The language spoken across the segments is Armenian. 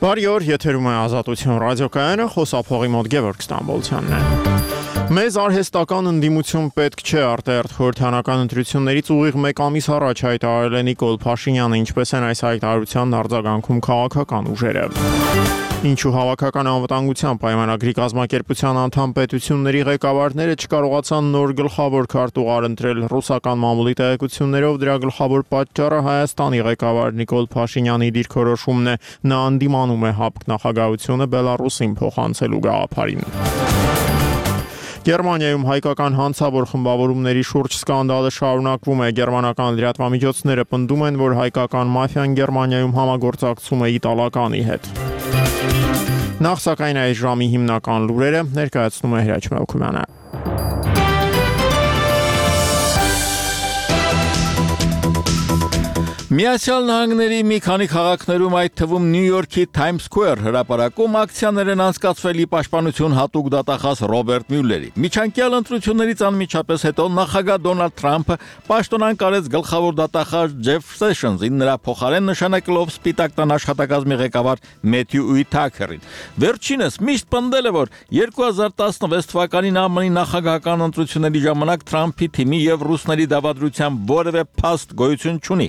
Բարի օր, եթերում է Ազատություն ռադիոկայանը, խոսափողի մոտ Գևորգ Ստամբոլցյանն է։ Մեզ արհեստական ընդդիմություն պետք չէ, արտահերթ խորհրդանական ընտրություններից ուղիղ 1 ամիս առաջ հայտարարել է Նիկոլ Փաշինյանը, ինչպես են այս հայտարարության արձագանքում քաղաքական ուժերը։ Ինչու հավաքական անվտանգության պայմանագրի կազմակերպության անդամ պետությունների ղեկավարները չկարողացան նոր գլխավոր քարտուղար ընտրել ռուսական մամուլի տեղեկություններով, դրա գլխավոր պատճառը Հայաստանի ղեկավար Նիկոլ Փաշինյանի դիրքորոշումն է, նա անդիմանում է ՀԱՊԿ նախագահությունը Բելարուսին փոխանցելու գաղափարին։ Գերմանիայում հայկական հանցավոր խմբավորումների շուրջ սկանդալը շարունակվում է։ Գերմանական լրատվամիջոցները պնդում են, որ հայկական մաֆիան Գերմանիայում համագործակցում է իտալականի հետ։ Նախ սակայն այս ժամի հիմնական լուրերը ներկայացնում է Հրաչ Մելքումյանը։ Միացյալ Նահանգների մի քանի քաղաքներում, այդ թվում Նյու Յորքի Times Square հրապարակում ակցիաներ են անցկացվել ի պաշտպանություն հատուկ դատախազ Ռոբերտ Մյուլլերի։ Միջանկյալ ընտրություններից անմիջապես հետո նախագահ Դոնալդ Թրամփը պաշտոնան կարեց գլխավոր դատախազ Ջեֆ Սեշնսին, նրա փոխարեն նշանակելով Սպիտակ տան աշխատակազմի ղեկավար Մեթյու Ուիթաքերին։ Վերջինս միշտ պնդել է, որ 2016 թվականին ԱՄՆ-ի նախագահական ընտրությունների ժամանակ Թրամփի թիմի եւ ռուսների դավադրության որևէ փաստ գոյություն չունի։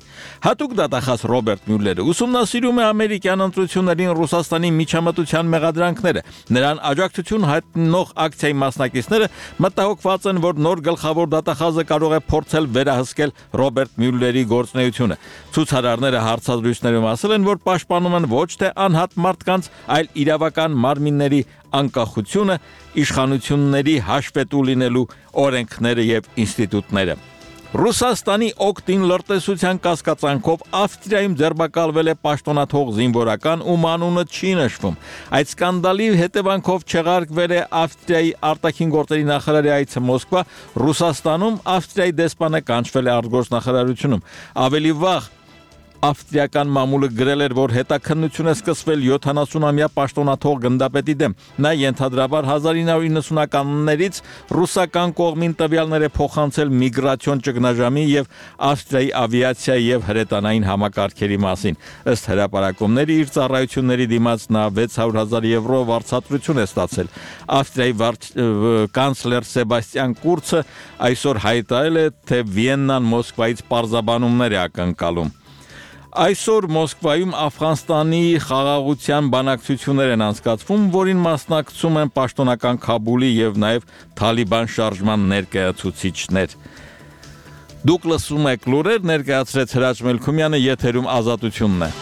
Հատուկ դատախազ Ռոբերտ Մյուլլերը ուսումնասիրում է ամերիկյան ընտրություններին Ռուսաստանի միջամտության մեղադրանքները։ Նրան աջակցություն հայտնող ակցիայի մասնակիցները մտահոգված են, որ նոր գլխավոր դատախազը կարող է փորձել վերահսկել Ռոբերտ Մյուլլերի գործունեությունը։ Ցուցարարները հարցազրույցներում ասել են, որ պաշտպանում են ոչ թե անհատ մարդկանց, այլ իրավական մարմինների անկախությունը, իշխանությունների հաշվետու լինելու օրենքները եւ ինստիտուտները։ Ռուսաստանի օգտին լրտեսության կասկածանքով Ավստրիայում ձերբակալվել է պաշտոնաթող զինվորական, ում անունը չի նշվում։ Այդ սկանդալի հետևանքով չեղարկվել է Ավստրիայի արտաքին գործերի նախարարի այցը Մոսկվա, Ռուսաստանում Ավստրիայի դեսպանը կանչվել է արտգործնախարարությունում։ Ավելի վաղ Ավստրիական մամուլը գրել էր, որ հետաքննություն է սկսվել 70-ամյա պաշտոնաթող գնդապետի դեմ։ Նա ենթադրաբար 1990-ականներից ռուսական կողմին տվյալներ է փոխանցել միգրացիոն ճգնաժամի եւ Ավստրիայի ավիացիայի եւ հրետանային համակարգերի մասին։ Ըստ հրապարակումների իր ծառայությունների դիմաց նա 600,000 եվրո վարձատրություն է ստացել։ Ավստրիայի կանցլեր Սեբաստիան Կուրցը այսօր հայտարարել է, թե Վիեննան Մոսկվայից պարզաբանումներ է ակնկալում։ Այսօր Մոսկվայում Աֆղանստանի խաղաղության բանակցություններ են անցկացվում, որին մասնակցում են պաշտոնական Քաբուլի եւ նաեւ Թալիբան շարժման ներկայացուցիչներ։ Դուք լսում եք լուրեր, ներկայացրեց Հրաչ Մելքումյանը, եթերում Ազատությունն է։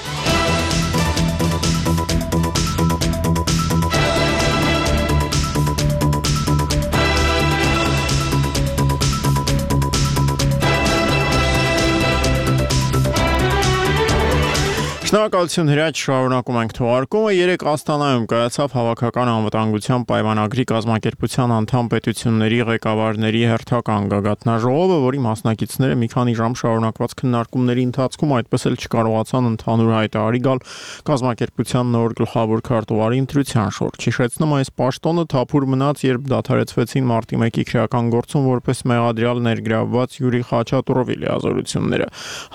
Շնորհակալություն Հրաչ, շարունակում ենք թողարկումը։ Երեկ Աստանայում կայացավ հավաքական անվտանգության պայմանագրի կազմակերպության անդամ պետությունների ղեկավարների հերթական գագաթնաժողովը, որի մասնակիցները մի քանի ժամ շարունակված քննարկումների ընթացքում այդպես էլ չկարողացան ընդհանուր հայտարարի գալ կազմակերպության նոր գլխավոր քարտուղարի ընտրության շուրջ։ Հիշեցնում այս պաշտոնը թափուր մնաց, երբ դադարեցվեցին մարտի 1-ի քրեական գործում որպես մեղադրյալ ներգրավված Յուրի Խաչատուրովի լիազորությունները։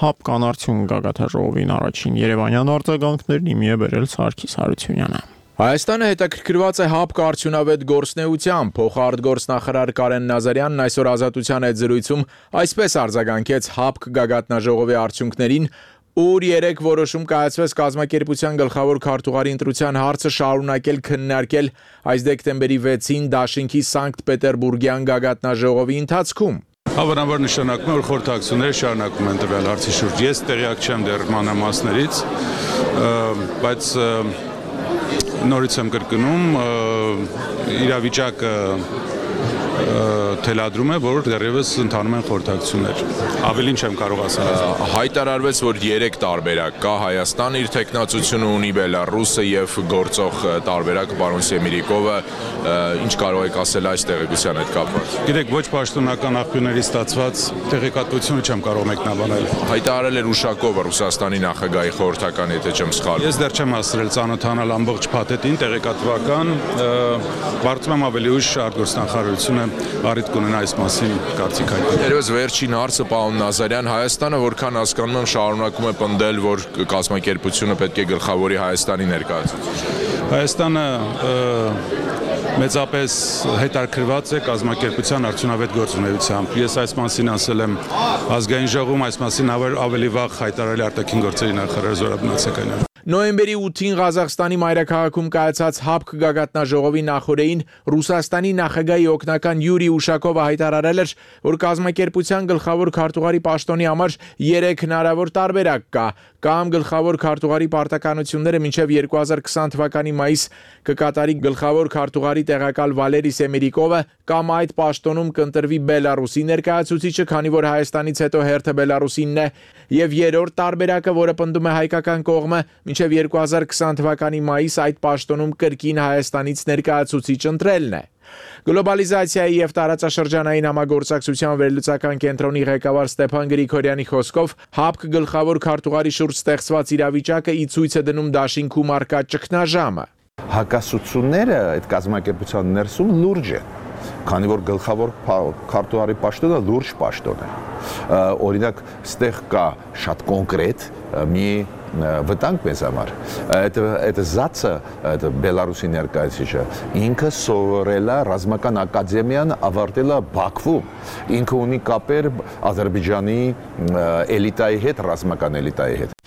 ՀԱՊԿ անարդյուն գագաթնաժողովին առաջին Երևանյան արձագանքներն իմի է բերել Սարգիս Հարությունյանը։ Հայաստանը հետաքրքրված է ՀԱՊԿ արդյունավետ գործնեությամբ, փոխարտգործնախարար Կարեն Նազարյանն այսօր Ազատության հետ զրույցում այսպես արձագանքեց ՀԱՊԿ գագաթնաժողովի արդյունքներին, ուր երեք որոշում կայացվեց կազմակերպության գլխավոր քարտուղարի ընտրության հարցը շարունակել քննարկել այս դեկտեմբերի 6-ին Դաշինքի Սանկտ Պետերբուրգյան գագաթնաժողովի ընթացքում։ Հավանաբար նշանակում է, որ խորհրդակցությունները շարունակվում են տվյալ հարցի շուրջ։ Ես տեղյակ չեմ դեռ մանրամասներից, բայց նորից եմ կրկնում, իրավիճակը թելադրում է, որ դեռևս ընթանում են խորհրդակցություններ։ Ավելին չեմ կարող ասել։ Հայտարարվեց, որ 3 տարբերակ կա, Հայաստանը իր տեխնացությունը ունի, Բելարուսը եւ գործող տարբերակը պարոն Սեմիրիկովը, ինչ կարող եք ասել այս տեղեկության հետ կապված։ Գիտեք, ոչ պաշտոնական աղբյուրներից ստացված տեղեկատվությունը չեմ կարող մեկնաբանել։ Հայտարարել էր Ուշակովը, Ռուսաստանի նախագահի խորհրդական, եթե չեմ սխալվում։ Ես դեռ չեմ հասցրել ծանոթանալ ամբողջ փաթեթին, տեղեկատվական, կարծում եմ ավելի ուշ արտգործնախարարությունը առիթ կունենա այս մասին կարծիք հայտնել։ Երևս վերջին հարցը պարոն Նազարյան, Հայաստանը որքան հասկանում եմ շարունակում է պնդել, որ կազմակերպությունը պետք է գլխավորի Հայաստանի ներկայացուցիչը։ Հայաստանը մեծապես հետաքրքրված է կազմակերպության արդյունավետ գործունեությամբ։ Ես այս մասին ասել եմ ազգային ժողովում, այս մասին ավելի վաղ հայտարարել արտաքին գործերի նախարար Զորաբ Նացականյանը։ Նոյեմբերի 8-ին Ղազախստանի մայրաքաղաքում կայացած ՀԱՊԿ գագաթնաժողովի նախօրեին Ռուսաստանի նախագահի օգնական Յուրի Ուշակովը հայտարարել էր, որ կազմակերպության գլխավոր քարտուղարի պաշտոնի համար 3 հնարավոր տարբերակ կա, կամ գլխավոր քարտուղարի պարտականությունները մինչև 2020 թվականի մայիս կկատարի գլխավոր քարտուղարի տեղակալ Վալերի Սեմերիկովը, կամ այդ պաշտոնում կընտրվի Բելարուսի ներկայացուցիչը, քանի որ Հայաստանից հետո հերթը Բելարուսինն է, եւ երրորդ տարբերակը, որը պնդում է հայկական կողմը, մինչև 2020 թվականի մայիս այդ պաշտոնում կրկին Հայաստանից ներկայացուցիչ ընտրելն է։ Գլոբալիզացիայի եւ տարածաշրջանային համագործակցության վերլուծական կենտրոնի ղեկավար Ստեփան Գրիգորյանի խոսքով ՀԱՊԿ գլխավոր քարտուղարի շուրջ ստեղծված իրավիճակը ի ցույց է դնում դաշինքում արկա ճգնաժամը։ Հակասությունները այդ կազմակերպության ներսում լուրջ են, քանի որ գլխավոր քարտուղարի պաշտոնը լուրջ պաշտոն է։ Օրինակ, ստեղ կա շատ կոնկրետ մի վտանգ մեզ համար։ Այդ զացը, այդ Բելարուսի ներկայացուցիչը, ինքը սովորել է ռազմական ակադեմիան, ավարտել է Բաքվում։ Ինքը ունի կապեր Ադրբեջանի էլիտայի հետ, ռազմական էլիտայի հետ։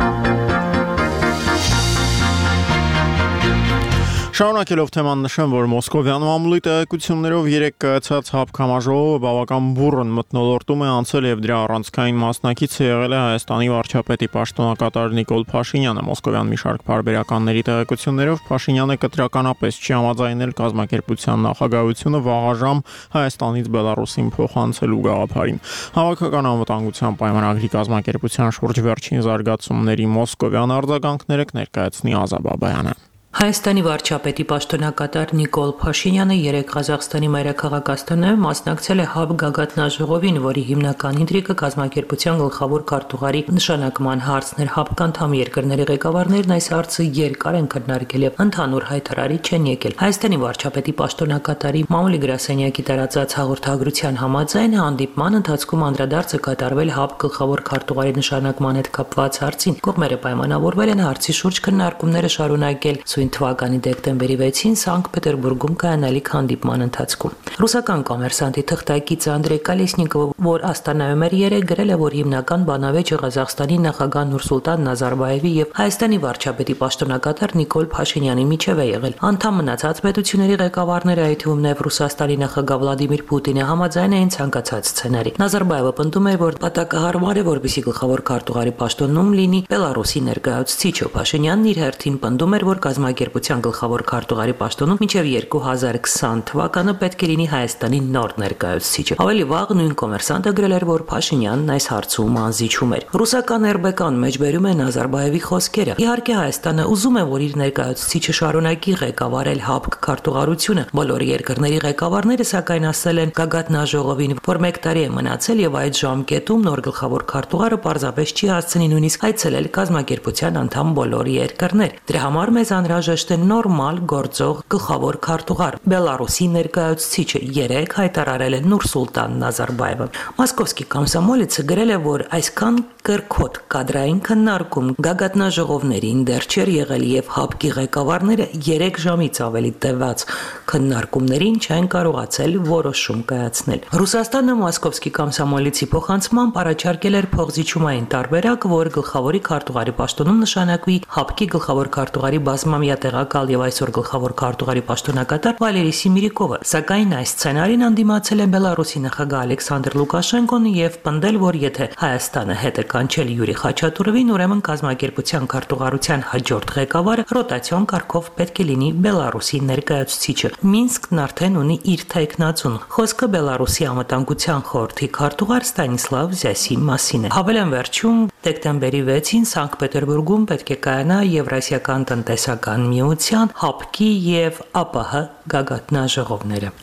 Շարունակելով թեման նշեմ, որ Մոսկովյան մամուլի տեղեկություններով 3 կայացած ՀԱՊԿ համաժողովը բավական բուռն մթնոլորտում է անցել եւ դրա առանցքային մասնակիցը եղել է Հայաստանի վարչապետի պաշտոնակատար Նիկոլ Փաշինյանը։ Մոսկովյան մի շարք բարբերականների տեղեկություններով Փաշինյանը կտրականապես չի համաձայնել կազմակերպության նախագահությունը վաղաժամ Հայաստանից Բելարուսին փոխանցելու գաղափարին։ Հավաքական անվտանգության պայմանագրի կազմակերպության շուրջ վերջին զարգացումների մոսկովյան արձագանքները կներկայացնի Ազատ Բաբայանը։ Հայաստանի վարչապետի պաշտոնակատար Նիկոլ Փաշինյանը 3 Ղազախստանի մայրաքաղաք Աստանայում մասնակցել է ՀԱՊԿ գագաթնաժողովին, որի հիմնական ինտրիգը կազմակերպության գլխավոր քարտուղարի նշանակման հարցն էր։ ՀԱՊԿ անդամ երկրների ղեկավարներն այս հարցը երկար են քննարկել եւ ընդհանուր հայտարարի չեն եկել։ Հայաստանի վարչապետի պաշտոնակատարի մամուլի գրասենյակի տարածած հաղորդագրության համաձայն հանդիպման ընթացքում անդրադարձը կատարվել ՀԱՊԿ գլխավոր քարտուղարի նշանակման հետ կապված հարցին։ Կողմերը պայմանավորվել են հարցի շուրջ քննարկումները շարունակել թվականի դեկտեմբերի 6-ին Սանկտ Պետերբուրգում կայանալիք հանդիպման ընթացքում։ Ռուսական կոմերսանտի թղթակիցը Անդրեյ Կալեսնիկովը, որ Աստանայում էր երեկ, գրել է, որ հիմնական բանավեճը Ղազախստանի նախագահ Նուրսուլտան Նազարբայևի եւ Հայաստանի վարչապետի պաշտոնակատար Նիկոլ Փաշինյանի միջև է եղել։ Անդամ մնացած պետությունների ղեկավարները, այդ թվում նաեւ Ռուսաստանի նախագահ Վլադիմիր Պուտինը, համաձայն էին ցանկացած սցենարի։ Նազարբայևը պնդում է, որ պատակահարմար է, որպեսզի գլխավոր քարտուղարի պաշտոնում լինի Բելարուսի ներկայացուցիչը։ Փաշինյանն իր հերթին պնդում էր, որ կազմակերպության գլխավոր քարտուղարի պաշտոնում մինչև 2020 թվականը պետք է լինի Հայաստանի նոր ներկայացուցիչը։ Ավելի վաղ նույն կոմերսանտը գրել էր, որ Փաշինյանն այս հարցում անզիջում էր։ Ռուսական ՌԲԿ-ն մեջբերում է Նազարբայևի խոսքերը։ Իհարկե Հայաստանը ուզում է, որ իր ներկայացուցիչը շարունակի ղեկավարել ՀԱՊԿ քարտուղարությունը։ Բոլոր երկրների ղեկավարները սակայն ասել են գագաթնաժողովին, որ 1 տարի է մնացել եւ այդ ժամկետում նոր գլխավոր քարտուղարը պարզապես չի հասցնի նույնիսկ այցելել կազմակերպության անդամ բոլոր երկրներ։ Դրա համար մեզ անհրաժեշտ է նորմալ գործող գլխավոր քարտուղար։ Բելարուսի ներկայացուցիչը երեկ հայտարարել է Նուրսուլտան Նազարբայևը։ Մոսկովսկի կոմսոմոլիցը գրել է, որ այսքան կրկոտ կադրային քննարկում գագաթնաժողովներին դեռ չէր եղել եւ ՀԱՊԿ-ի ղեկավարները 3 ժամից ավելի տևած քննարկումներին չեն կարողացել որոշում կայացնել։ Ռուսաստանը Մոսկովսկի կոմսոմոլիցի փոխանցմամբ առաջարկել էր փոխզիջումային տարբերակ, որ գլխավորի քարտուղարի պաշտոնում նշանակվի ՀԱՊԿ-ի գլխավոր քարտուղարի բազմամյա տեղակալ եւ այսօր գլխավոր քարտուղարի պաշտոնակատար Վալերի Սեմերիկովը, սակայն այս սցենարին անդիմացել է Բելարուսի նախագահ Ալեքսանդր Լուկաշենկոն եւ պնդել, որ եթե Հայաստանը հետ է կանչել Յուրի Խաչատուրովին, ուրեմն կազմակերպության քարտուղարության հաջորդ ղեկավարը ռոտացիոն կարգով պետք է լինի Բելարուսի ներկայացուցիչը։ Մինսկն արդեն ունի իր թեկնածուն։ Խոսքը Բելարուսի անվտանգության խորհրդի քարտուղար Ստանիսլավ Զյասի մասին է։ Հավելեն վերջում դեկտեմբերի 6-ին Սանկտ Պետերբուրգում պետք է կայանա Եվրասիական տնտեսական միության, ՀԱՊԿ-ի եւ ԱՊՀ գագաթնաժողովները։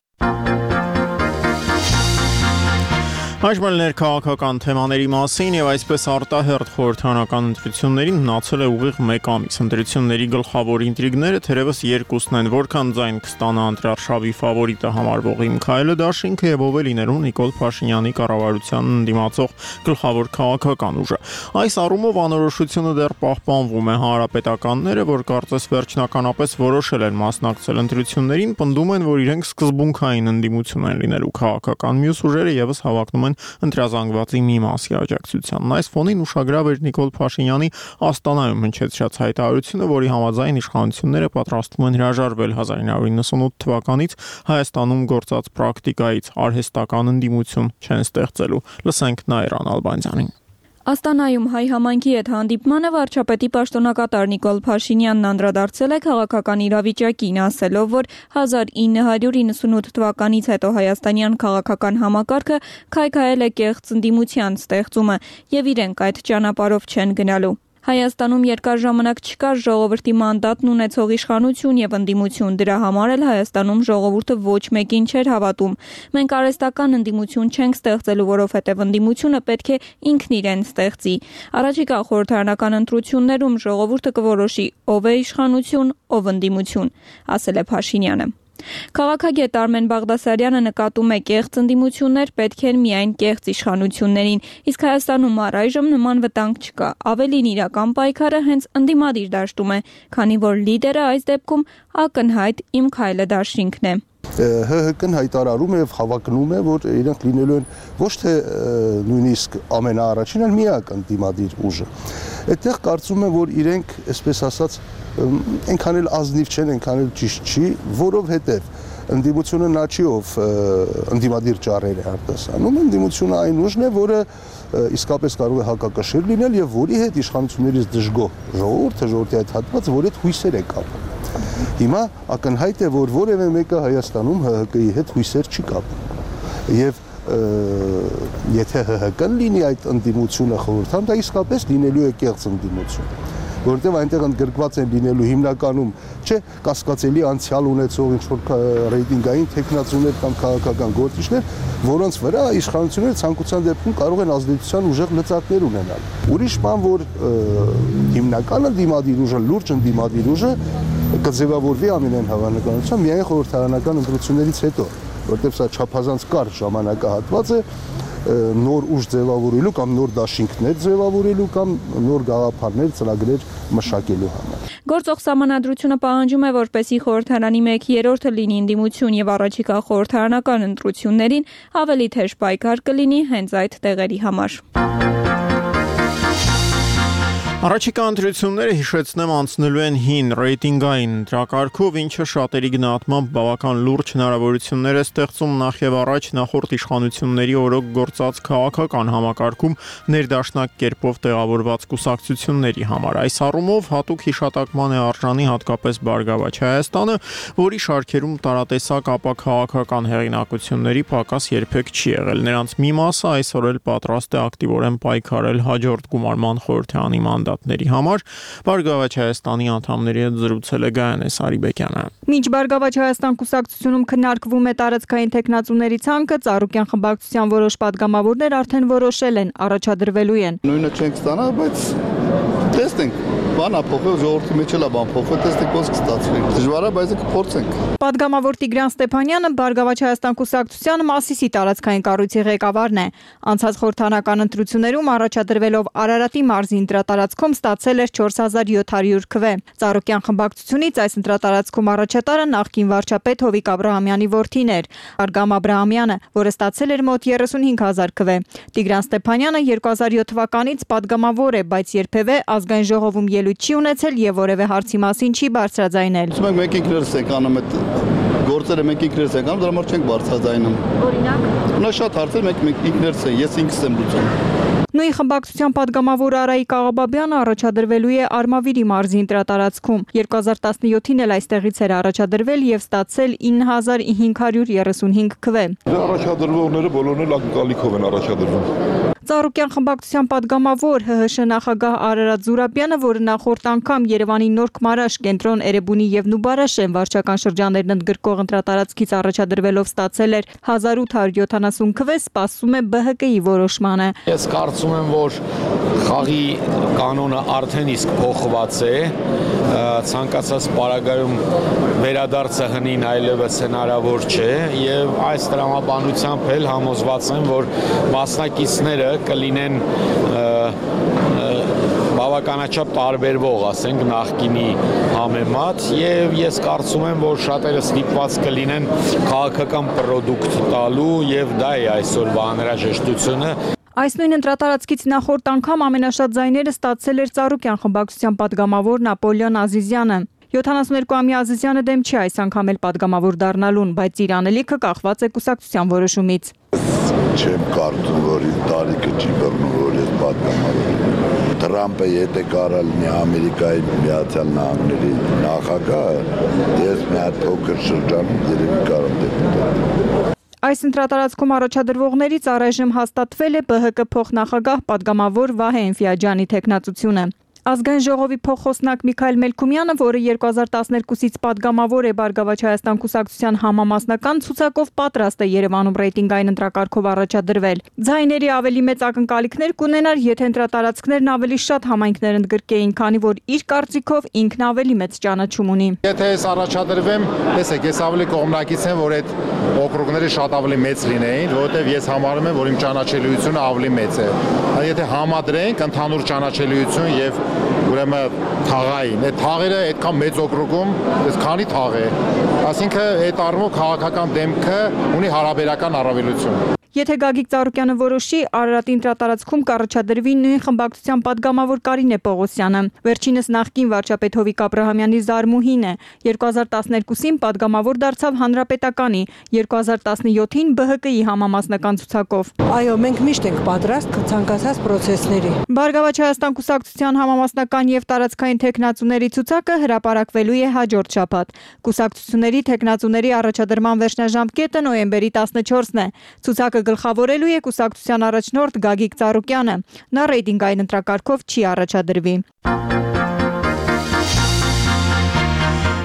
Այժմ ներքաղաքական թեմաների մասին եւ այսպես արտահերթ խորհրդարանական ընտրություններին մնացել է ուղիղ 1 ամիս։ Ընտրությունների գլխավոր ինտրիգները թերևս երկուսն են, որքան ձայն կստանա ընտրարշավի ֆավորիտը համարվող Միքայել Դաշինքը եւ ով է լինելու Նիկոլ Փաշինյանի կառավարությանն ընդդիմացող գլխավոր քաղաքական ուժը։ Այս առումով անորոշությունը դեռ պահպանվում է։ Հանրապետականները, որ կարծես վերջնականապես որոշել են մասնակցել ընտրություններին, պնդում են, որ իրենք սկզբունքային ընդդիմություն են լինելու քաղաքական մյուս ուժերը եւս հավակնում են ընտրազանգվածի մի մասի աջակցությանն։ Այս ֆոնին ուշագրավ էր Նիկոլ Փաշինյանի Աստանայում հնչեցրած հայտարարությունը, որի համաձայն իշխանությունները պատրաստվում են հրաժարվել 1998 թվականից Հայաստանում գործած պրակտիկայից, արհեստական ընդդիմություն չեն ստեղծելու։ Լսենք Նաիրան Ալբանդյանին։ Աստանայում հայ համայնքի հետ հանդիպմանը վարչապետի պաշտոնակատար Նիկոլ Փաշինյանն անդրադարձել է քաղաքական իրավիճակին, ասելով, որ 1998 թվականից հետո հայաստանյան քաղաքական համակարգը քայքայել է կեղծ ընդդիմության ստեղծումը եւ իրենք այդ ճանապարհով չեն գնալու։ Հայաստանում երկար ժամանակ չկար ժողովրդի մանդատն ունեցող իշխանություն եւ ընդդիմություն, դրա համար էլ Հայաստանում ժողովուրդը ոչ մեկին չէր հավատում։ Մենք արհեստական ընդդիմություն չենք ստեղծելու, որովհետեւ ընդդիմությունը պետք է ինքն իրեն ստեղծի։ Առաջիկա խորհրդարանական ընտրություններում ժողովուրդը կորոշի ով է իշխանություն, ով ընդդիմություն, ասել է Փաշինյանը։ Քաղաքագետ Արմեն Բաղդասարյանը նկատում է կեղծ ընդդիմություններ պետք են միայն կեղծ իշխանություններին, իսկ Հայաստանում առայժմ նման վտանգ չկա, ավելին իրական պայքարը հենց ընդդիմադիր դաշտում է, քանի որ լիդերը այս դեպքում ակնհայտ Միքայել Դաշինքն է։ ՀՀԿ-ն հայտարարում է եւ հավակնում է, որ իրենք լինելու են ոչ թե նույնիսկ ամենաառաջին, այլ միակ ընդդիմադիր ուժը։ Այդտեղ կարծում եմ, որ իրենք, այսպես ասած, այնքան էլ ազնիվ չեն, այնքան էլ ճիշտ չի, որովհետեւ ընդդիմությունը նա չի, ով ընդդիմադիր ճառեր է արտասանում, ընդդիմությունը այն ուժն է, որը իսկապես կարող է հակակշիռ լինել եւ որի հետ իշխանություններից դժգոհ ժողովրդի այդ հատվածը, որի հետ հույսեր է կապում։ Հիմա ակնհայտ է, որ որևէ մեկը Հայաստանում ՀՀԿ-ի հետ հույսեր չի կապում։ Եվ եթե ՀՀԿ-ն լինի այդ ընդդիմությունը խորհրդան, դա իսկապես լինելու է կեղծ ընդդիմություն, որովհետև այնտեղ ընդգրկված են լինելու հիմնականում չէ կասկածելի անցյալ ունեցող ինչ-որ ռեյտինգային տեխնացուներ կամ քաղաքական գործիչներ, որոնց վրա իշխանությունները ցանկության դեպքում կարող են ազդեցության ուժեղ լծակներ ունենալ։ Ուրիշ բան, որ հիմնական ընդդիմադիր ուժը, լուրջ ընդդիմադիր ուժը կձևավորվի ամենայն հավանականությամբ միայն խորհրդարանական ընտրություններից հետո, որտեղ սա չափազանց կարճ ժամանակահատված է նոր ուժ ձևավորելու կամ նոր դաշինքներ ձևավորելու կամ նոր գաղափարներ, ծրագրեր մշակելու համար։ Գործող սահմանադրությունը պահանջում է, որպեսզի խորհրդարանի 1/3-ը լինի ընդդիմություն եւ առաջիկա խորհրդարանական ընտրություններին ավելի թեժ պայքար կլինի հենց այդ տեղերի համար։ Առաջիկա ընտրությունները հիշեցնեմ անցնելու են հին ռեյտինգային ընտրակարգով, ինչը շատերի գնահատմամբ բավական լուրջ հնարավորություններ է ստեղծում նախ եւ առաջ նախորդ իշխանությունների օրոք գործած քաղաքական համակարգում ներդաշնակ կերպով տեղավորված կուսակցությունների համար։ Այս առումով հատուկ հիշատակման է արժանի հատկապես Բարգավաճ Հայաստանը, որի շարքերում տարատեսակ ապա քաղաքական հեղինակությունների պակաս երբեք չի եղել։ Նրանց մի մասը այսօր էլ պատրաստ է ակտիվորեն պայքարել հաջորդ գումարման խորհրդարանի մանդատների համար։ Բարգավաճ Հայաստանի անդամների հետ զրուցել է Գայանե Սարիբեկյանը։ Մինչ Բարգավաճ Հայաստան կուսակցությունում քննարկվում է տարածքային տեխնացուների ցանկը, Ծառուկյան խմբակցության որոշ падգամավորներ արդեն որոշել են, առաջադրվելու են։ Նույնը չենք ստանա, բայց տեսնենք, բան ապոխել, ժողովրդի մեջ էլ է բան փոխվել, տեսնենք ոնց կստացվի։ Դժվար է, բայց կփորձենք։ Падգամավոր Տիգրան Ստեփանյանը Բարգավաճ Հայաստան կուսակցության Մասիսի տարածքային կառույցի ղեկավարն է։ Անցած խորհրդարանական ընտրություններում առաջադրվելով Արարատի մարզի ընտրատարածքում ստացել էր 4700 քվ։ Ծառուկյան խմբակցությունից այս ընտրատարածքում առաջատարը նախկին վարչապետ Հովիկ Աբրահամյանի որդին էր, Արգամ Աբրահամյանը, որը ստացել էր մոտ 35000 քվ։ Տիգրան Ստեփանյանը 2007 թվականից падգամավոր է, բայց երբևէ ազգային ժողովում ելույթ չի ունեցել եւ որևէ հարցի մասին չի բարձրաձայնել։ Ուզում ենք մենք ինքներս ենք անում այդ գործերը, մենք ինքներս ենք անում, դրա համար չենք բարձրաձայնում։ Օրինակ, նա շատ հարցեր մենք ինքներս ենք, ես ինքս եմ լուծում։ Նույն խմբակցության падգամավոր Արայիկ Աղաբաբյանը առաջադրվելու է Արմավիրի մարզի ընտրատարածքում։ 2017-ին էլ այստեղից էր առաջադրվել եւ ստացել 9535 քվ։ Առաջադրվողները բոլորն էլ ակնկալիքով են առաջադրվում։ Ծառուկյան խմբակցության падգամավոր ՀՀՇ նախագահ Արարատ Զուրաբյանը, որը նախորդ անգամ Երևանի Նոր Քմարաշ, Կենտրոն, Էրեբունի եւ Նուբարաշեն վարչական շրջաններն ընդգրկող ընտրատարածքից առաջադրվելով ստացել էր 1870 քվ, սպասում է ԲՀԿ-ի որոշմանը։ Ես կարծում եմ, որ խաղի կանոնը արդեն իսկ փոխված է, ցանկացած պարագայում վերադարձը հնին այլևս հնարավոր չէ եւ այս տրամաբանությամբ էլ համոզված եմ, որ մասնակիցները կլինեն բավականաչափ տարբերվող, ասենք, նախկինի համեմատ եւ ես կարծում եմ, որ շատերը ստիպված կլինեն քաղաքական պրոդուկտ տալու եւ դա է այսօրվա անհրաժեշտությունը։ Այս նույն ընտրատարածքից նախորդ անգամ ամենաշատ ձայները ստացել էր Ծառուկյան խմբակցության падգամավոր Նապոլեոն Ազիզյանը։ 72-ամյա Ազիզյանը դեմ չի այս անգամ էլ падգամավոր դառնալուն, բայց իր անելիքը կախված է կուսակցության որոշումից։ Չեմ կարծում, որ իր տարիքը չի բռնում, որ ես падգամավոր եմ։ Թրամփը եթե կարա լինի Ամերիկայի Միացյալ Նահանգների նախագահը, ես մի հատ փոքր շրջանում երևի կարող դեպուտատ։ Այս ընտրատարածքում առաջադրվողներից առայժմ հաստատվել է ԲՀԿ փոխնախագահ падգամավոր Վահե Էնֆիաջյանի թեկնածությունը։ Ազգային ժողովի փոխխոսնակ Միքայել Մելքումյանը, որը 2012-ից падգամավոր է Բարգավաճ Հայաստան կուսակցության համամասնական ցուցակով, պատրաստ է Երևանում ռեյտինգային ընտրակարգով առաջադրվել։ Ձայների ավելի մեծ ակնկալիքներ կունենար, եթե ընտրատարածքներն ավելի շատ համայնքներ ընդգրկեին, քանի որ իր կարծիքով ինքն ավելի մեծ ճանաչում ունի։ Եթե ես առաջադրվեմ, տեսեք, ես ավելի կողմնակից եմ, որ այդ օկրուգները շատ ավելի մեծ լինեին, որովհետև ես համարում եմ, որ իմ ճանաչելիությունը ավելի մեծ է։ Եթե համադրենք ընդհանուր ճանաչելիություն եւ ուրեմն թաղային, այդ թաղերը այդքան մեծ օկրուգում, այս քանի թաղ է։ Այսինքն այդ առումով քաղաքական դեմքը ունի հարաբերական առավելություն։ Եթե Գագիկ Ծառուկյանը որոշի, Արարատի ընտրատարածքում կառաջադրվի նույն խմբակցության падգամավոր Կարինե Պողոսյանը։ Վերջինս նախկին վարչապետ Հովիկ Աբրահամյանի զարմուհին է։ 2012-ին падգամավոր դարձավ Հանրապետականի, 2017-ին ԲՀԿ-ի համամասնական ցուցակով։ Այո, մենք միշտ ենք պատրաստ ցանկացած process-ների։ Բարգավաճ Հայաստան կուսակցության համամասնական եւ տարածքային թեկնածուների ցուցակը հրապարակվելու է հաջորդ շաբաթ։ Կուսակցությունների թեկնածուների առաջադրման վերջնաժամկետը նոյեմբերի 14-ն է։ Ցուցակը գլխավորելու է կուսակցության առաջնորդ Գագիկ Ծառուկյանը։ Նա ռեյտինգային ընտրակարգով չի առաջադրվի։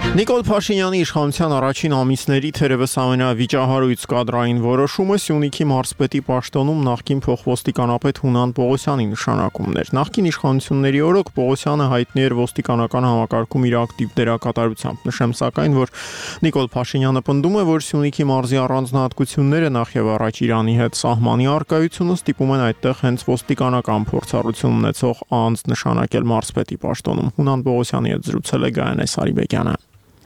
Նիկոլ Փաշինյանի իշխանության առաջին ամիսների թերևս ամենավիճահարույց կադրային որոշումը Սյունիքի մարզպետի պաշտոնում նախկին փոխոստիկանապետ Հունան Պողոսյանի նշանակումն էր։ Նախկին իշխանությունների օրոք Պողոսյանը հայտնի էր ոստիկանական համակարգում իր ակտիվ դերակատարությամբ։ Նշեմ սակայն, որ Նիկոլ Փաշինյանը պնդում է, որ Սյունիքի մարզի առանձնահատկությունները նախ եւ առաջ Իրանի հետ սահմանի առկայությունը ստիպում են այդտեղ հենց ոստիկանական փորձառություն ունեցող անձ նշանակել մարզպետի պաշտոնում։ Հունան Պողոսյանի հետ զրուցել է Գայանե Սարիբեկյանը։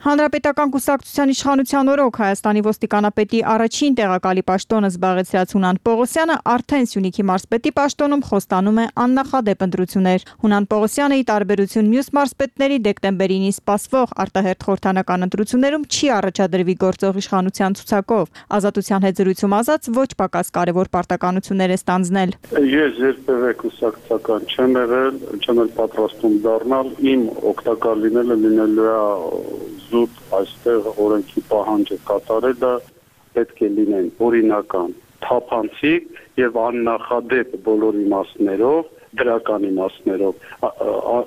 Հանրապետական կուսակցության իշխանության օրոք Հայաստանի ոստիկանապետի առաջին տեղակալի պաշտոնը զբաղեցրած Հունան Պողոսյանը արդեն Սյունիքի մարզպետի պաշտոնում խոստանում է աննախադեպ ընտրություններ։ Հունան Պողոսյանը ի տարբերություն մյուս մարզպետների դեկտեմբերին սպասվող արտահերթ խորհրդանական ընտրություններում չի առաջադրվի գործող իշխանության ցուցակով։ Ազատության հետ զրույցում ասաց, ոչ պակաս կարևոր պարտականություններ է ստանձնել։ Ես երբևէ կուսակցական չեմ եղել, չեմ էլ պատրաստում դառնալ, իմ օգտակար լինելու է զուտ այստեղ օրենքի պահանջը կատարելը պետք է լինեն օրինական, թափանցիկ եւ աննախադեպ բոլոր իմաստներով, դրական իմաստներով։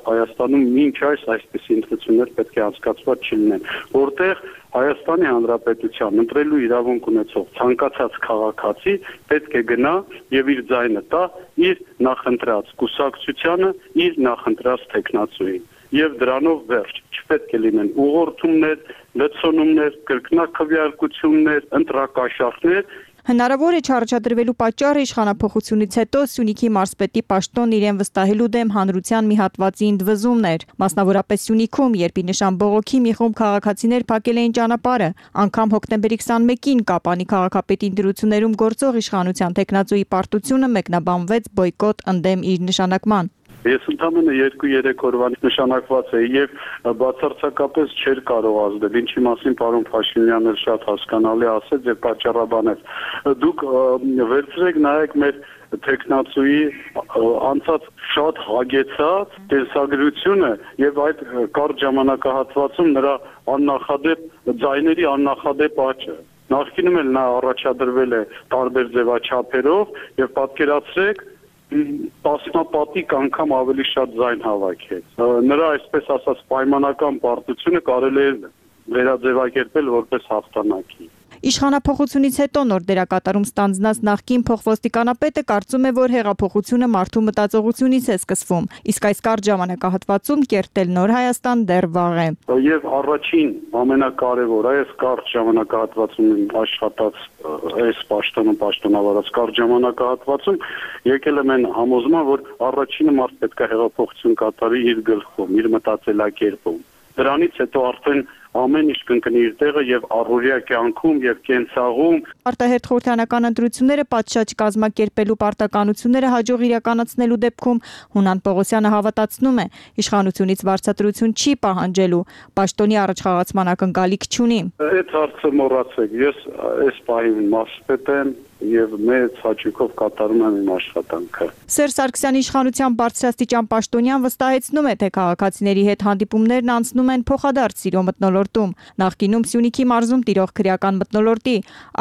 Հայաստանում մինչ այսպես ընտրություններ պետք է անցկացված չլինեն, որտեղ Հայաստանի Հանրապետության ընտրելու իրավունք ունեցող ցանկացած քաղաքացի պետք է գնա եւ իր ձայնը տա իր նախընտրած կուսակցությանը, իր նախընտրած թեկնածուին։ Եվ դրանով վերջ, չպետք է լինեն ուղղորդումներ, լցոնումներ, կրկնակվյարկություններ, ընտրակաշառքներ։ Հնարավոր է չառաջադրվելու պատճառը իշխանափոխությունից հետո Սյունիքի մարզպետի պաշտոն իրեն վստահելու դեմ հանրության մի հատվածի ընդվզումն էր։ Մասնավորապես Սյունիքում, երբ ի նշան բողոքի մի խումբ քաղաքացիներ փակել էին ճանապարհը, անգամ հոկտեմբերի 21-ին Կապանի քաղաքապետի ընտրություններում գործող իշխանության տեխնացուի պարտությունը մեկնաբանվեց բոյկոտ ընդդեմ իր նշանակման։ Ես ընդամենը 2-3 օրվա նշանակված է եւ բացարձակապես չէր կարող ազդել, ինչի մասին պարոն Փաշինյանը շատ հասկանալի ասեց եւ պատճառաբանեց։ Դուք վերցրեք նայեք մեր տեխնացուի անցած շատ հագեցած տեսագրությունը եւ այդ կարճ ժամանակահատվածում նրա աննախադեպ ձայների աննախադեպ աճը։ Նախկինում էլ նա առաջադրվել է տարբեր ձևաչափերով եւ պատկերացրեք տասնապատիկ անգամ ավելի շատ ձայն հավաքեց։ Նրա այսպես ասած պայմանական պարտությունը կարելի է վերաձևակերպել որպես հաղթանակի։ Իշխանափոխությունից հետո նոր դերակատարում ստանձնած նախկին փոխոստիկանապետը կարծում է, որ հեղափոխությունը մարդու մտածողությունից է սկսվում, իսկ այս կարճ ժամանակահատվածում կերտել նոր Հայաստան դեռ վաղ է։ Եվ առաջին ամենակարևորը այս կարճ ժամանակահատվածում աշխատած այս պաշտոնավարած կարճ ժամանակահատվածում եկել եմ այն համոզման, որ առաջինը մարդ պետք է հեղափոխություն կատարի իր գլխում, իր մտածելակերպում։ Դրանից հետո արդեն ամեն ինչ կընկնի իր տեղը եւ առօրյա կյանքում եւ կենցաղում։ Արտահերթ խորհրդանական ընտրությունները պատշաճ կազմակերպելու պարտականությունները հաջող իրականացնելու դեպքում Հունան Պողոսյանը հավատացնում է, իշխանությունից վարձատրություն չի պահանջելու, պաշտոնի առաջխաղացման ակնկալիք չունի։ Այդ հարցը մոռացեք, ես այս պահին մասպետ եմ եւ մեծ հաճույքով կատարում եմ իմ աշխատանքը։ Սերժ Սարգսյանի իշխանության բարձրաստիճան պաշտոնյան վստահեցնում է, թե քաղաքացիների հետ հանդիպումներն անցնում են փոխադարձ սիրո մթնոլորտում։ Նախկինում Սյունիքի մարզում տիրող քրեական մթնոլորտի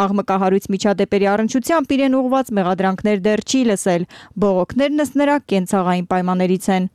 աղմկահարույց միջադեպերի առնչությամբ իրեն ուղղված մեղադրանքներ դեռ չի լսել։ Բողոքներն ըստ նրա կենցաղային պայմաններից են։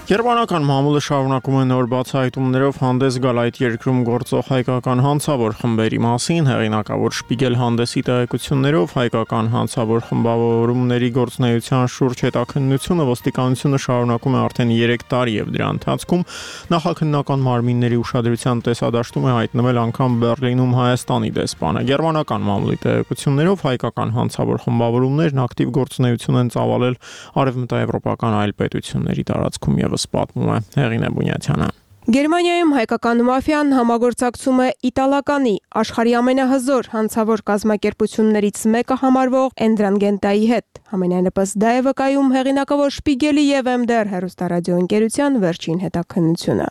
Գերմանական մամուլը շարունակում է նոր բացահայտումներով հանդես գալ այդ երկրում գործող հայկական հանցավոր խմբերի մասին, հեղինակավոր Շպիգել հանդեսի տեղեկություններով հայկական հանցավոր խմբավորումների գործունեության շուրջ հետաքննությունը ոստիկանությունը շարունակում է արդեն 3 տարի եւ դրա ընթացքում նախաքննական մարմինների ուշադրության տեսադաշտում է հայտնվել անգամ Բեռլինում Հայաստանի դեսպանը։ Գերմանական մամուլի տեղեկություններով հայկական հանցավոր խմբավորումներն ակտիվ գործունեություն են ծավալել արևմտաեվրոպական այլ պետությունների տարածքում եւ պատմում է Հեղինե Բունյաթյանը։ Գերմանիայում հայկական մաֆիան համագործակցում է իտալականի աշխարհի ամենահզոր հանցավոր կազմակերպություններից մեկը համարվող Էնդրանգենտայի հետ։ Համենայնիվս դա է վկայում հեղինակավոր Շպիգելի եւ MDR հեռուստարադիոընկերության վերջին հետաքննությունը։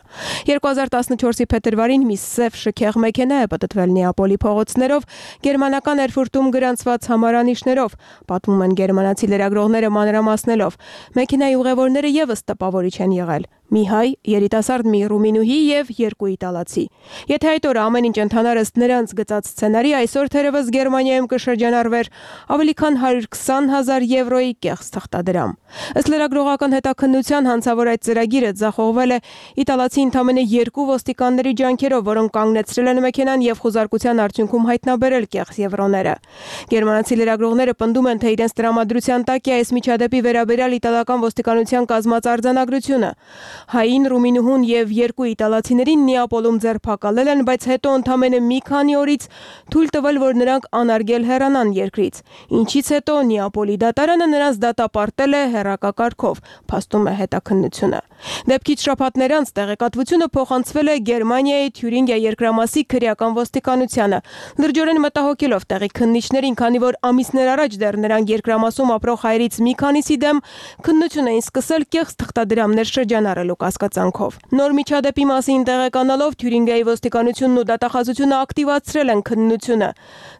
2014-ի փետրվարին մի սև շքեղ մեքենա է պատտվել Նեապոլի փողոցներով գերմանական Էրֆուրտում գրանցված համարանիշներով, պատմում են գերմանացի լրագրողները մանրամասնելով։ Մեքենայի ուղևորները եւս տպավորիչ են եղել։ Մի հայ, երիտասարդ մի ռումինուհի եւ 2 իտալացի։ Եթե այդ օրը ամեն ինչ ընթանար ըստ նրանց գծած սցենարի, այսօր թերևս Գերմանիայում կշրջանառվեր ավելի քան 120,000 եվրոյի կեղծ թղթադրամ։ Ըստ լրագրողական հետաքննության հանցավոր այդ ծրագիրը ձախողվել է իտալացի ընդամենը 2 ոստիկանների ջանքերով, որոնք կանգնեցրել են մեքենան եւ խոզարկության արդյունքում հայտնաբերել կեղծ եվրոները։ Գերմանացի լրագրողները պնդում են, թե իրենց տրամադրության տակ է այս միջադեպի վերաբերյալ իտալական ոստիկանության կազմած արձանագրությունը։ Հային, ռումինուհուն եւ 2 իտալացիներին Նեապոլում ձերբակալել են, բայց հետո ընդամենը մի քանի օրից թույլ տվել, որ նրանք անարգել հեռանան երկրից։ Ինչից հետո Նեապոլի դատարանը նրանց դատապարտել է հեռակակարգով, փաստում է հետաքննությունը։ Դեպքից շաբաթներ անց տեղեկատվությունը փոխանցվել է Գերմանիայի Թյուրինգիա երկրամասի քրեական ոստիկանությանը։ Լրջորեն մտահոգելով տեղի քննիչներին, քանի որ ամիսներ առաջ դեռ նրանք երկրամասում ապրող հայերից մի քանիսի դեմ քննություն էին սկսել կեղծ թղթադրամներ շրջանառելու կասկածանքով։ Նոր միջադեպի մասին տեղեկանալով Թյուրինգիայի ոստիկանությունն ու դատախազությունը ակտիվացրել են քննությունը,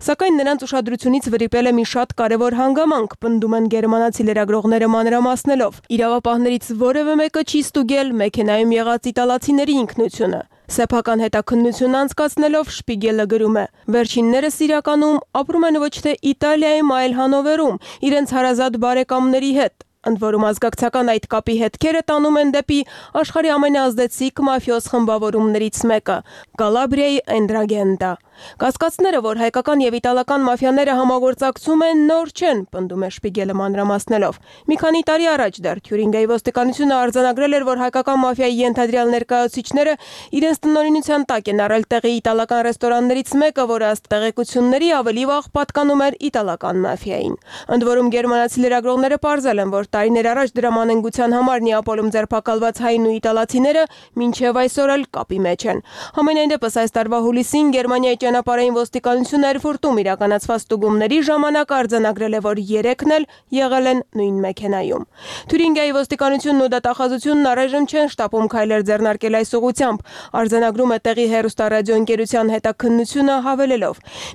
սակայն նրանց ուշադրությունից վրիպել է մի շատ կարևոր հանգամանք, պնդում են գերմանացի լրագրողները մանրամասնելով։ Իրավապահներից որևէ մեկը չի ստուգել մեքենայում եղած իտալացիների ինքնությունը։ Սեփական հետաքննություն անցկացնելով Շպիգելը գրում է. վերջիններս իրականում ապրում են ոչ թե Իտալիայում, այլ Հանովերում, իրենց հարազատ բարեկամների հետ։ Ընդ որում ազգակցական այդ կապի հետքերը տանում են դեպի աշխարհի ամենաազդեցիկ մաֆիոզ խմբավորումներից մեկը՝ Կալաբրիայի Էնդրագենտա։ Կասկածները, որ հայկական եւ իտալական մաֆիաները համագործակցում են, նոր չեն, պնդում է Շպիգելը մանրամասնելով։ Մի քանի տարի առաջ դեռ Թյուրինգիայի ոստիկանությունը արձանագրել էր, որ հայկական մաֆիայի ենթադրյալ ներկայացուցիչները իրենց տնօրինության տակ են առել տեղի իտալական ռեստորաններից մեկը, որը ըստ տեղեկությունների ավելի վաղ պատկանում էր իտալական մաֆիային։ Ընդ որում գերմանացի լրագրողները պարզել են, որ տարիներ առաջ դրամանենգության համար Նեապոլում ձերբակալված հայն ու իտալացիները մինչև այսօր էլ կապի մեջ են։ Համենայնդեպս այս տարվա հուլիսին Գերմանիայի ճանապարհային ոստիկանությունը Էրֆուրտում իրականացված ստուգումների ժամանակ արձանագրել է, որ 3-ն էլ եղել են նույն մեքենայում։ Թյուրինգիայի ոստիկանությունն ու դատախազությունն առայժմ չեն շտապում քայլեր ձեռնարկել այս ուղղությամբ, արձանագրում է տեղի հեռուստարադիոընկերության հետաքննությունը հավելելով.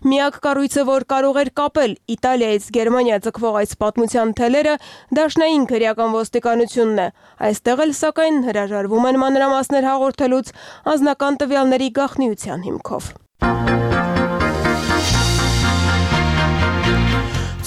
միակ կառույցը, որ կարող էր կապել Իտալիայից Գերմանիա ձգվող այս պատմության թելերը, դաշնային քրեական ոստիկանությունն է։ Այստեղ էլ սակայն հրաժարվում են մանրամասներ հաղորդելուց անձնական տվյալների գաղտնիության հիմքով։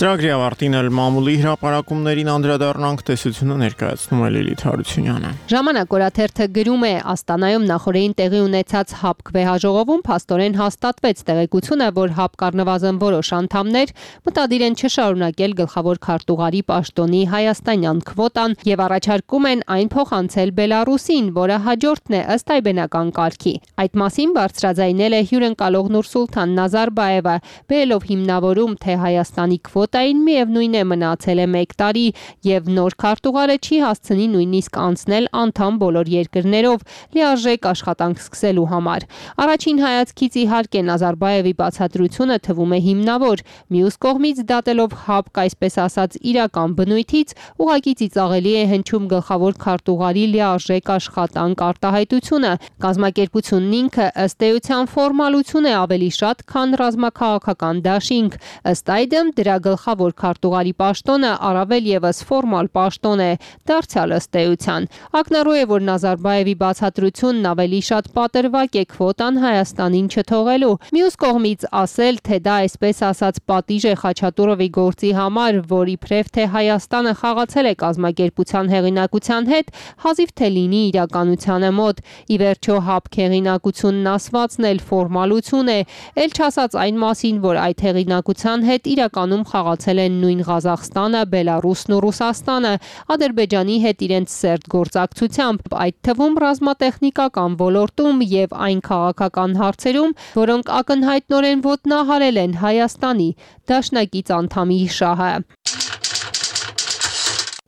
Ծրագրի ավարտին էլ մամուլի հրապարակումներին անդրադառնանք, տեսությունը ներկայացնում է Լիլիթ Հարությունյանը։ Ժամանակ օրաթերթը գրում է Աստանայում նախորդին տեղի ունեցած ՀԱՊԿ վեհաժողովում փաստորեն հաստատվեց տեղեկությունը, որ ՀԱՊԿ առնվազն որոշ անդամներ մտադիր են չշարունակել գլխավոր քարտուղարի պաշտոնի հայաստանյան քվոտան եւ առաջարկում են այն փոխանցել Բելարուսին, որը հաջորդն է ըստ այբենական կարգի։ Այդ մասին բարձրաձայնել է հյուրընկալող Նուրսուլթան Նազարբաևը, բերելով հիմնավորում, թե Հայաստանի քվոտային միևնույն է մնացել է 1 տարի եւ նոր քարտուղարը չի հասցնի նույնիսկ անցնել անդամ բոլոր երկրներով լիարժեք աշխատանք սկսելու համար։ Առաջին հայացքից իհարկե Նազարբաևի բացատրությունը թվում է հիմնավոր, մյուս կողմից դատելով ՀԱՊԿ այսպես ասած իրական բնույթից ուղղակի ծիծաղելի է հնչում գլխավոր քարտուղարի լիարժեք աշխատանք արտահայտությունը։ Կազմակերպությունն ինքը ըստ էության ֆորմալություն է ավելի շատ, քան ռազմաքաղաքական դաշինք։ Ըստ այդմ դրա գլխավոր քարտուղարի պաշտոնը առավել եւս ֆորմալ պաշտոն է, դարձյալ ըստ էության։ Ակնառու է, որ Նազարբաևի բացատրությունն ավելի շատ պատրվակ է քվոտան Հայաստանին չթողելու։ Մյուս կողմից ասել, թե դա այսպես ասած պատիժ է Խաչատուրովի գործի համար, որ իբրև թե Հայաստանը խաղացել է կազմակերպության հեղինակության հետ, հազիվ թե լինի իրականությանը մոտ։ Ի վերջո ՀԱՊԿ հեղինակությունն ասվածն էլ ֆորմալություն է, ել չասած այն մասին, որ այդ հեղինակության հետ իրականում խաղացել են նույն Ղազախստանը, Բելարուսն ու Ռուսաստանը, Ադրբեջանի հետ իրենց սերտ գործակցությամբ, այդ թվում ռազմատեխնիկական ոլորտում եւ այն քաղաքական հարցերում, որոնք ակնհայտնորեն ոտնահարել են Հայաստանի դաշնակից անդամի շահը։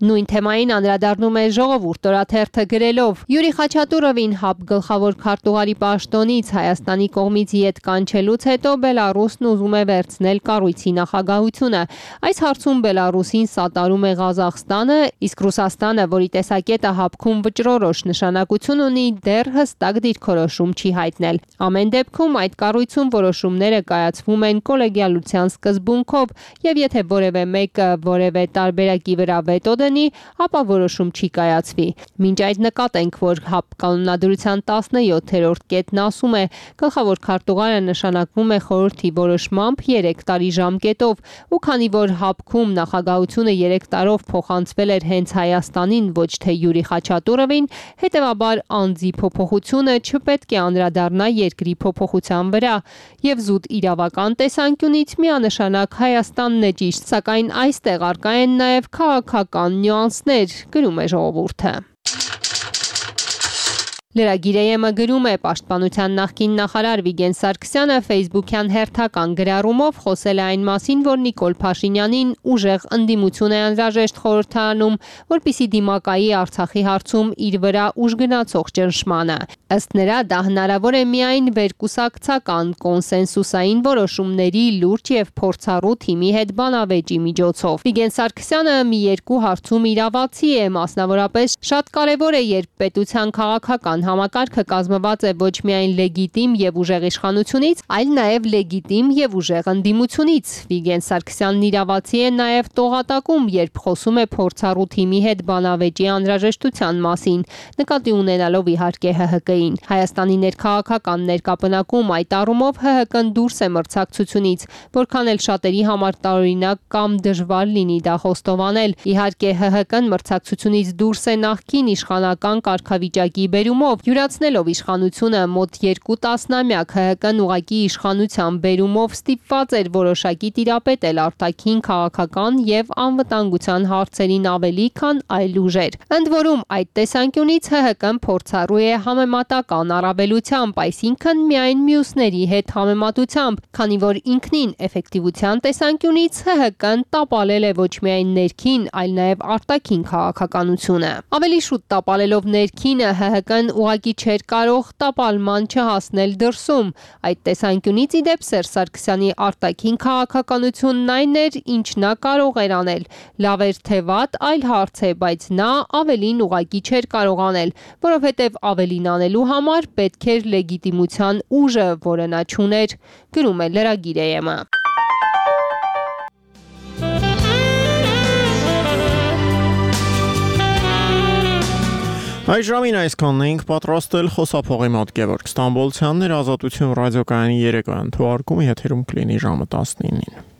Նույն թեմային անդրադառնում է Ժողովուրդ օրաթերթը գրելով. Յուրի Խաչատուրովին ՀԱՊԿ գլխավոր քարտուղարի պաշտոնից Հայաստանի կողմից ետ կանչելուց հետո Բելարուսն ուզում է վերցնել կառույցի նախագահությունը։ Այս հարցում Բելարուսին սատարում է Ղազախստանը, իսկ Ռուսաստանը, որի տեսակետը ՀԱՊԿ-ում վճռորոշ նշանակություն ունի, դեռ հստակ դիրքորոշում չի հայտնել։ Ամեն դեպքում այդ կառույցում որոշումները կայացվում են կոլեգիալության սկզբունքով, եւ եթե որևէ մեկը որևէ տարբերակի վրա վետո դնի, ապա որոշում չի կայացվի։ Մինչ այդ նկատենք, որ ՀԱՊԿ կանոնադրության 17-րդ կետն ասում է, գլխավոր քարտուղարը նշանակվում է խորհրդի որոշմամբ 3 տարի ժամկետով, ու քանի որ ՀԱՊԿ-ում նախագահությունը 3 տարով փոխանցվել էր հենց Հայաստանին, ոչ թե Յուրի Խաչատուրովին, հետևաբար անձի փոփոխությունը չպետք է անդրադառնա երկրի փոփոխության վրա, եւ զուտ իրավական տեսանկյունից միանշանակ Հայաստանն է ճիշտ, սակայն այստեղ առկա են նաեւ քաղաքական նյուանսներ, գրում է Ժողովուրդը։ Լրագիրը գրում է Պաշտպանության նախկին նախարար Վիգեն Սարգսյանը Facebook-յան հերթական գրառումով խոսել է այն մասին, որ Նիկոլ Փաշինյանին ուժեղ ընդդիմություն է անհրաժեշտ խորհրդարանում, որպեսզի դիմակայի Արցախի հարցում իր վրա ուժգնացող ճնշմանը։ Ըստ նրա դա հնարավոր է միայն վերկուսակցական կոնսենսուսային որոշումների լուրջ եւ փորձառու թիմի հետ բանավեճի միջոցով։ Վիգեն Սարգսյանը մի երկու հարցում իրավացի է, մասնավորապես շատ կարեւոր է, երբ պետության քաղաքական համակարգը կազմված է ոչ միայն լեգիտիմ եւ ուժեղ իշխանությունից, այլ նաեւ լեգիտիմ եւ ուժեղ ընդդիմությունից։ Վիգեն Սարգսյանն իրավացի է նաեւ տողատակում, երբ խոսում է փորձառու թիմի հետ բանավեճի անհրաժեշտության մասին, նկատի ունենալով իհարկե ՀՀԿ-ին։ Հայաստանի ներքաղաքական ներկապնակում այդ առումով ՀՀԿ-ն դուրս է մրցակցությունից, որքան էլ շատերի համար տարօրինակ կամ դժվար լինի դա խոստովանել։ Իհարկե ՀՀԿ-ն մրցակցությունից դուրս է նախկին իշխանական կարգավիճակի բերումով, յուրացնելով իշխանությունը մոտ 2 տասնամյակ, ՀՀԿ-ն ուղղակի իշխանության բերումով ստիպված էր որոշակի տիրապետել արտաքին քաղաքական եւ անվտանգության հարցերին ավելի, քան այլ ուժեր։ Ընդ որում, այդ տեսանկյունից ՀՀԿ-ն փորձառու է համեմատական առավելությամբ, այսինքն միայն մյուսների հետ համեմատությամբ, քանի որ ինքնին էֆեկտիվության տեսանկյունից ՀՀԿ-ն տապալել է ոչ միայն ներքին, այլ նաեւ արտաքին քաղաքականությունը։ Ավելի շուտ տապալելով ներքինը, ՀՀԿ-ն ուղղակի չէր կարող տապալման չհասնել դրսում։ Այդ տեսանկյունից ի դեպ Սերժ Սարգսյանի արտաքին քաղաքականությունն այն էր, ինչ նա կարող էր անել։ Լավ էր թե վատ, այլ հարց է, բայց նա ավելին ուղղակի չէր կարող անել, որովհետև ավելին անելու համար պետք էր լեգիտիմության ուժը, որը նա չուներ, գրում է լրագիրը։ Այս ժամին այսքանն էինք պատրաստել, խոսափողի մոտ Գևորգ Ստամբոլցյանն էր, Ազատություն ռադիոկայանի երեկոյան թողարկումը եթերում կլինի ժամը 19-ին։